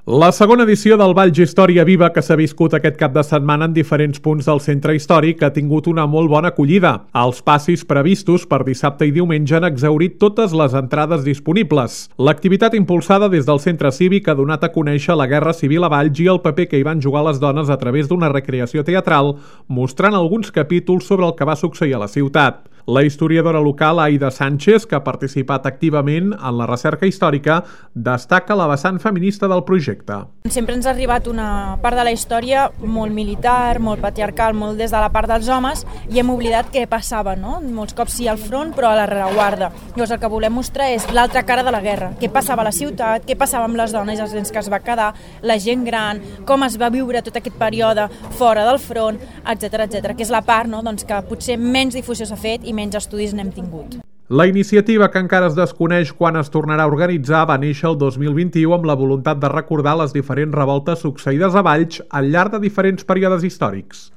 La segona edició del Valls Història Viva que s'ha viscut aquest cap de setmana en diferents punts del centre històric ha tingut una molt bona acollida. Els passis previstos per dissabte i diumenge han exhaurit totes les entrades disponibles. L'activitat impulsada des del centre cívic ha donat a conèixer la Guerra Civil a Valls i el paper que hi van jugar les dones a través d'una recreació teatral, mostrant alguns capítols sobre el que va succeir a la ciutat. La historiadora local Aida Sánchez, que ha participat activament en la recerca històrica, destaca la vessant feminista del projecte. Sempre ens ha arribat una part de la història molt militar, molt patriarcal, molt des de la part dels homes, i hem oblidat què passava, no? Molts cops sí al front, però a la rereguarda. Llavors el que volem mostrar és l'altra cara de la guerra, què passava a la ciutat, què passava amb les dones, els nens que es va quedar, la gent gran, com es va viure tot aquest període fora del front, etc etc, que és la part, no? Doncs que potser menys difusió s'ha fet i menys estudis n'hem tingut. La iniciativa, que encara es desconeix quan es tornarà a organitzar, va néixer el 2021 amb la voluntat de recordar les diferents revoltes succeïdes a Valls al llarg de diferents períodes històrics.